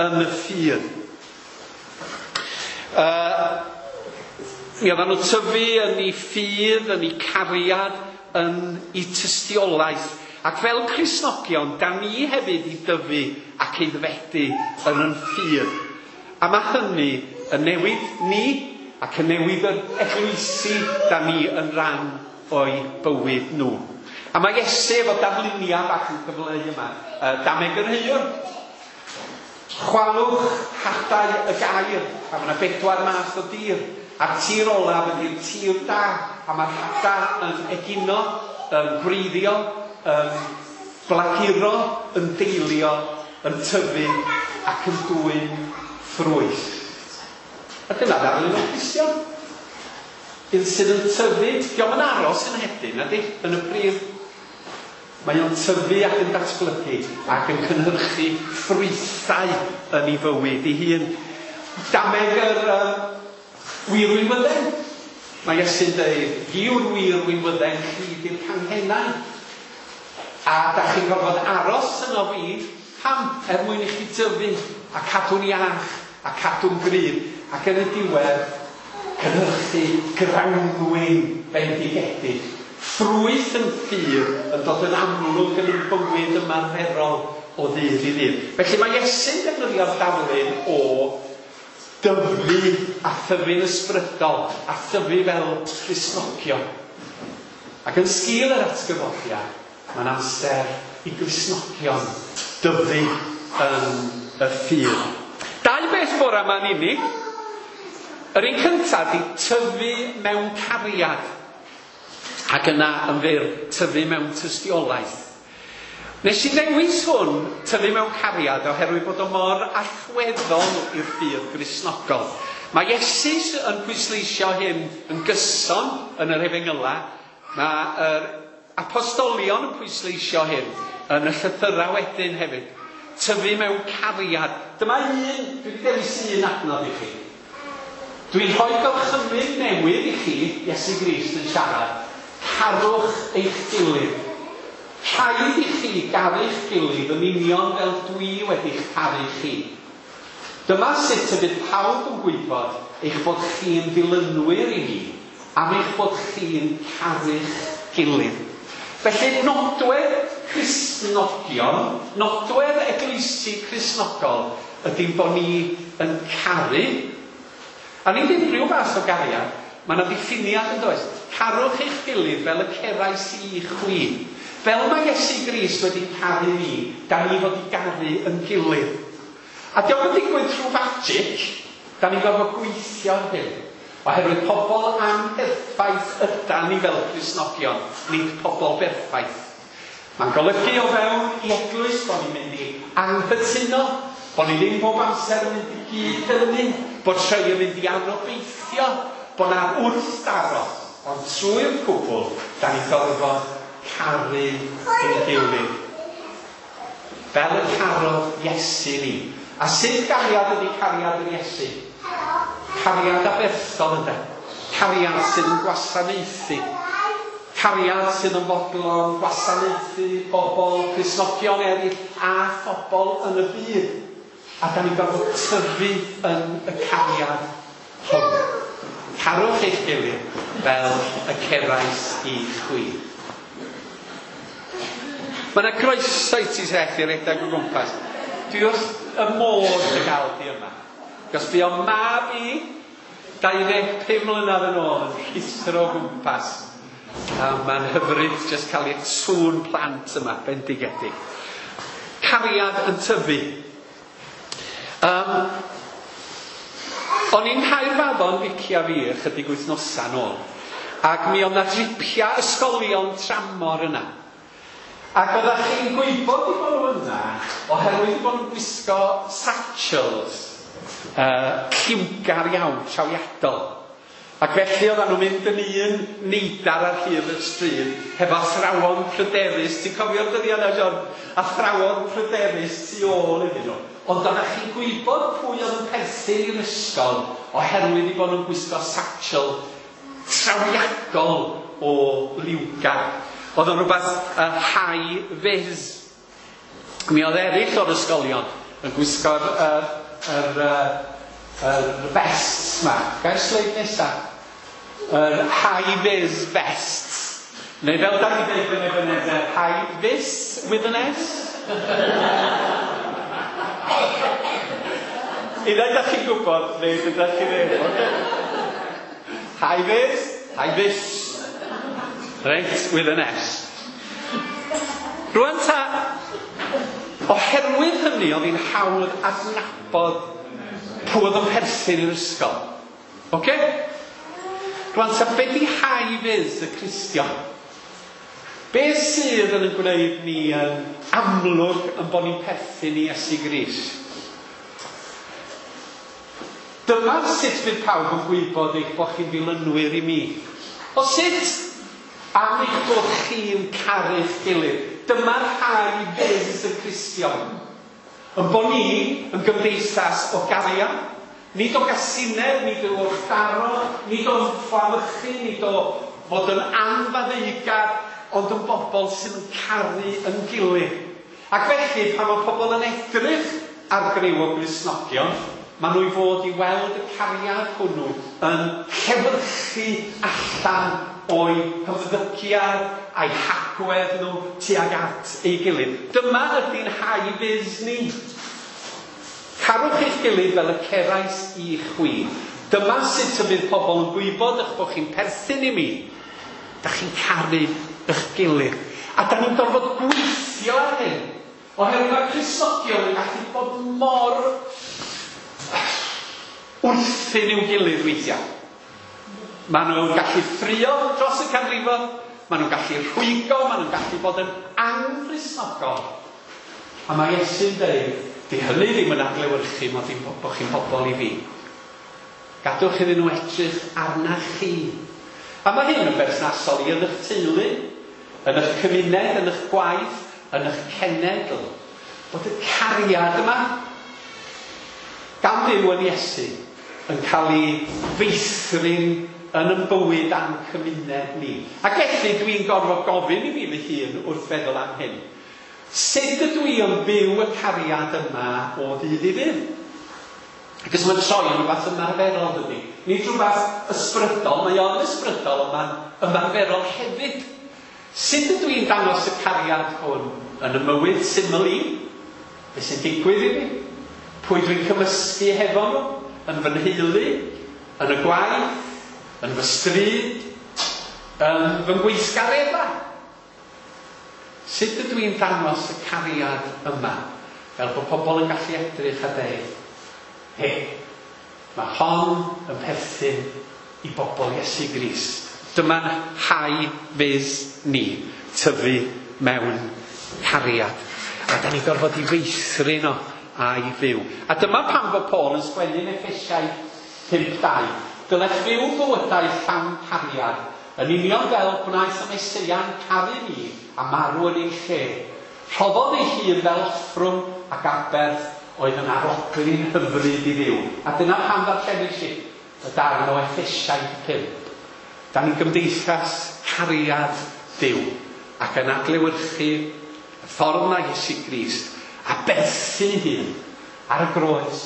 yn y ffydd. Uh, mi oedden nhw'n tyfu yn eu ffydd, yn eu cariad, yn eu tystiolaeth. Ac fel Cristnogion, da ni hefyd i dyfu ac aeddfedu yn yn ffydd. A mae hynny yn newid ni ac yn newid yr eglwysi da ni yn rhan o'i bywyd nhw. A mae Iesu efo darluniau bach yn cyfleu yma. Uh, Dameg yr heuwr. Chwalwch hadau y gair. A mae yna bedwar math o dir. A'r tir olaf ydy'r tir da. A mae'r hadau yn egino, yn gwreiddio, yn blaguro, yn deilio, yn tyfu ac yn dwyn ffrwyth. A dyna ddarlun o Gristion. Un sydd yn tyfu, dio'm yn aros yn hedyn, nadi, yn y pridd. Mae o'n tyfu ac yn datblygu ac yn cynhyrchu ffrwythau yn ei fywyd ei hun. Dameg yr uh, wir winwydden. Mae Iesu'n dweud, fi yw'r wir winwydden, chi di'r canghennau. A da chi'n gorfod aros yno fi, pam? Er mwyn i chi tyfu a cadw'n iach a cadw'n gryf. Ac yn y diwedd, cynhyrchu grawnwin bendigedig. Ffrwyth yn ffydd yn dod yn amlwg yn ein bywyd ymarferol o ddydd i ddydd. Felly mae Iesu'n defnyddio'r darlun o dyfu a thyfu'n ysbrydol a thyfu fel Cristnogion. Ac yn sgil yr atgyfodiad, Mae'n amser i Gristnogion dyfu yn y ffydd. Dau beth bore yma'n unig. Yr un cyntaf ydy tyfu mewn cariad. Ac yna yn fyr, tyfu mewn tystiolaeth. Nes i ddewis hwn, tyfu mewn cariad, oherwydd bod o mor allweddol i'r ffydd Gristnogol. Mae Iesu yn pwysleisio hyn yn gyson yn yr Efengyla. Mae'r apostolion yn pwysleisio hyn yn y llythyrau wedyn hefyd. Tyfu mewn cariad. Dyma un, dwi wedi dewis un adnodd i chi. Dwi'n rhoi gorchymyn newydd i chi, Iesu Grist yn siarad. Carwch eich gilydd. Rhaid i chi garu'ch gilydd yn union fel dwi wedi'ch caru chi. Dyma sut y bydd pawb yn gwybod eich bod chi'n ddilynwyr i mi, am eich bod chi'n caru'ch gilydd. Felly nodwedd Cristnogion, nodwedd eglwysi Cristnogol ydy bod ni yn caru. A nid unrhyw fath o gariad, mae yna ddiffiniad yn does. Carwch eich gilydd fel y cerais i chwi. Fel mae Iesu Grist wedi caru ni, da ni fod i garu yn gilydd. A dio'm yn digwydd trwy magic, da ni'n gorfod gweithio ar hyn. Oherwydd pobl amherffaith ydan ni fel Cristnogion, nid pobl berffaith. Mae'n golygu o fewn i eglwys bod ni'n mynd i anghytuno, bod ni ddim bob amser yn mynd i gyd-dynnu, bod rhai yn mynd i anobeithio, bod na wrthdaro. Ond trwy'r cwbl, da ni'n gorfod caru ein gilydd. Fel y carodd Iesu ni. A sut gariad ydy cariad yr Iesu? Cariad aberthol ynde. Cariad sydd yn gwasanaethu. Cariad sydd yn fodlon gwasanaethu bobl, Cristnogion eraill a phobl yn y byd. A da ni'n gorfod tyfu yn y cariad hwn. Carwch eich gilydd fel y cerais i chwi. Mae yna groeso i ti Seth i redeg o gwmpas. Dwi wrth y modd dy gael di yma. Cos bu o mab i dau ddeg pum mlynedd yn ôl yn rhuthro o gwmpas. A mae'n hyfryd jyst cael ei sŵn plant yma, bendigedig. Cariad yn tyfu. Um, o'n i'n Nghaerfaddon, Vicky a fi, ychydig wythnosau nôl. Ac mi oedd na dripia ysgolion tramor yna. Ac oeddech chi'n gwybod i bod nhw yna oherwydd bod nhw'n gwisgo satchels uh, lliwgar iawn, trawiadol. Ac felly oedden nhw'n mynd yn un neidar ar hyd y stryd hefo athrawon pryderus. Ti'n cofio'r dyddiau yna, John? Athrawon pryderus tu ôl iddyn nhw. Ond oeddech chi'n gwybod pwy oedd yn perthyn i'r ysgol oherwydd i bod nhw'n gwisgo satchel trawiadol o liwgar. Oedd o'n rhywbeth uh, high vis. Mi oedd eraill o'r ysgolion yn gwisgo'r uh, yr, uh, yr vests ma. Gair sleid nesa. Yr high vis vests. Neu fel da ni dweud yn Ebenezer, high vis with an S. I ddau da chi'n gwybod, neu dydach chi ddim. Okay? High vis, high vis. Reit, with an S. Rwan ta, oherwydd hynny oedd hi'n hawdd adnabod pwy oedd yn perthyn i'r ysgol. Oce? Rwan ta, be di high vis y Cristion? Be sydd yn gwneud ni yn amlwg yn bod ni'n perthyn i Iesu Grist? Dyma sut fydd pawb yn gwybod eich bod chi'n ddilynwyr i mi. O sut? Am eich bod chi'n caru'ch gilydd. Dyma'r high vis y Cristion. Yn bod ni yn gymdeithas o gariad. Nid o gasineb, nid o wrthdaro, nid o fflamychu, nid o fod yn anfaddeugar, ond yn bobl sydd yn caru yn gilydd. Ac felly, pan mae pobl yn edrych ar griw o Gristnogion, maen nhw i fod i weld y cariad hwnnw yn llewyrchu allan o'i hymddygiad a'i hagwedd nhw tuag at ei gilydd. Dyma ydy'n high vis ni. Carwch eich gilydd fel y cerais i chwi. Dyma sut y bydd pobl yn gwybod eich bod chi'n perthyn i mi. Da chi'n caru eich gilydd. A da ni'n gorfod gweithio ar hyn, oherwydd mae Cristnogion yn gallu bod mor wrthyn i'w gilydd weithiau. Maen nhw'n gallu ffrio dros y canrifoedd, maen nhw'n gallu rhwygo, maen nhw'n gallu bod yn anghristnogol. A mae Iesu'n dweud, di hynny ddim yn adlewyrchu mod i'n bod chi'n bobl i fi. Gadwch iddyn nhw edrych arna chi. A mae hyn yn berthnasol i yn eich teulu, yn eich cymuned, yn eich gwaith, yn eich cenedl. Bod y cariad yma gan Dduw yn Iesu yn cael ei feithrin yn ein bywyd a'n cymuned ni. Ac felly dwi'n gorfod gofyn i fi fy hun wrth feddwl am hyn. Sut ydw i yn byw y cariad yma o ddydd i ddydd? Ac mae'n troi yn rhywbeth ymarferol, dydy. Nid rhywbeth ysbrydol, mae o'n ysbrydol, ond mae'n ymarferol hefyd. Sut ydw i'n dangos y cariad hwn yn y mywyd syml i? Be sy'n digwydd i fi? Pwy dwi'n cymysgu hefo nhw? Yn fy nheulu? Yn y gwaith? Yn fy stryd? Yn fy ngweithgareddau? Sut ydw i'n dangos y cariad yma? Fel bod pobl yn gallu edrych a dweud, he, mae hon yn perthyn i bobl Iesu Grist. Dyma'n hau fys ni, tyfu mewn cariad. A da ni gorfod i feithrin o a'i fyw. A dyma pam bod Paul yn sgwennu yn Effesiaid pump dau. Dylech fyw bywydau llawn cariad, yn union fel gwnaeth y Meseia'n caru ni a marw yn ein lle. Rhoddodd ei hun fel offrwm ac aberth oedd yn arogli'n hyfryd i Dduw. A dyna pam ddarllenis i y darn o Effesiaid pump. Da ni'n gymdeithas cariad Duw ac yn adlewyrchu y ffordd mae Iesu Grist aberthu hun ar y groes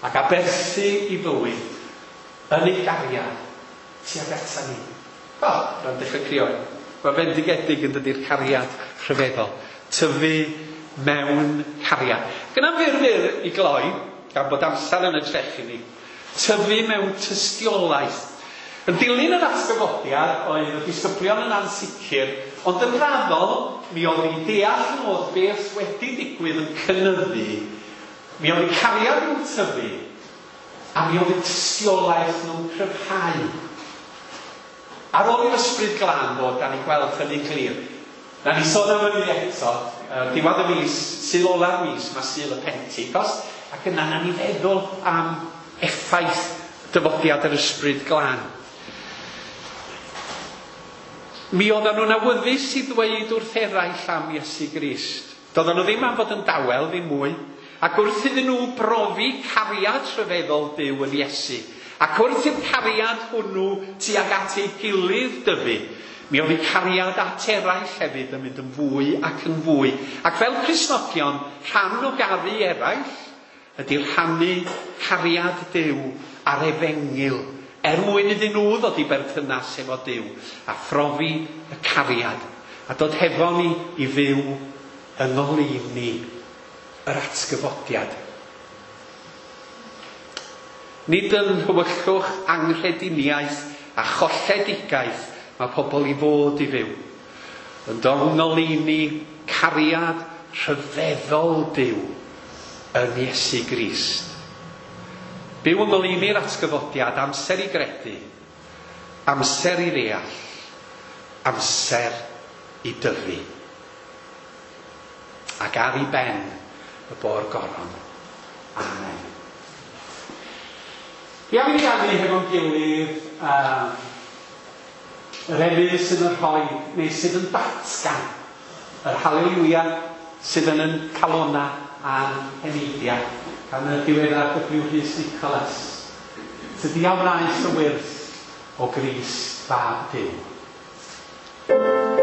ac aberthu i fywyd yn ei gariad tuag ata ni. O, rhaid dechrau crio. Mae fendigedig yn dydi'r cariad rhyfeddol. Tyfu mewn cariad. Gyna fyr fyr i gloi, gan bod amser yn y trechu ni, tyfu mewn tystiolaeth. Yn dilyn yr atgyfodiad oedd y disgyblion yn ansicr, ond yn raddol mi oedd i deall yn oedd beth wedi digwydd yn cynyddu, mi oedd i cariad nhw'n tyfu, a mi oedd i tystiolaeth nhw'n cryfhau. Ar ôl i'r Ysbryd Glân ddod, da ni'n gweld hynny'n clir. Na ni sôn am hynny eto, diwedd y mis, Sul ola'r mis, mae Sul y Pentecost, ac yna na ni feddwl am effaith dyfodiad yr Ysbryd Glân. Mi oedden nhw'n awyddus i ddweud wrth eraill am Iesu Grist. Doedden nhw ddim am fod yn dawel, ddim mwy. Ac wrth iddyn nhw brofi cariad rhyfeddol Duw yn Iesu, ac wrth i'r cariad hwnnw tuag at ei gilydd dyfu, mi oedd eu cariad at eraill hefyd yn mynd yn fwy ac yn fwy. Ac fel Cristnogion, rhan o garu eraill ydy rhannu cariad Duw a'r efengyl, er mwyn iddyn nhw ddod i berthynas efo Duw a phrofi y cariad a dod hefo ni i fyw yng ngoleuni yr atgyfodiad. Nid yn hywyllwch anghrediniaeth a cholledigaeth mae pobl i fod i fyw, ond yng ngoleuni cariad rhyfeddol Duw yn Iesu Grist. Byw yng ngoleuni'r atgyfodiad, amser i gredu, amser i ddeall, amser i dyfu. Ac ar ei ben y bo'r goron. Amen. Fi am i ni ganu hefo'n gilydd uh, yr emyn sydd yn rhoi, neu sydd yn datgan yr haleluia sydd yn yn calona a'n heneidiau, gan y diweddar W Rhys Nicholas. Tydi a wnaeth y wyrth o Grist fab Duw. Thank you.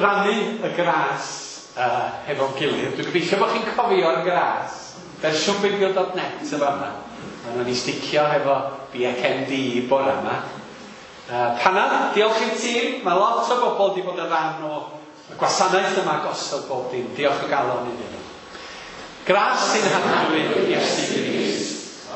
rannu y gras uh, hefo'n gilydd. Dwi'n gobeithio bod chi'n cofio'r gras. Fersiwn beibl dot net yn fama. A nawn ni sticio hefo B C M D bore yma. Uh, Panad, diolch i'r tîm. Mae lot o bobl wedi bod yn rhan o y gwasanaeth yma gosod bob dim. Diolch o galon iddyn nhw. Gras sy'n Harglwydd Iesu Grist.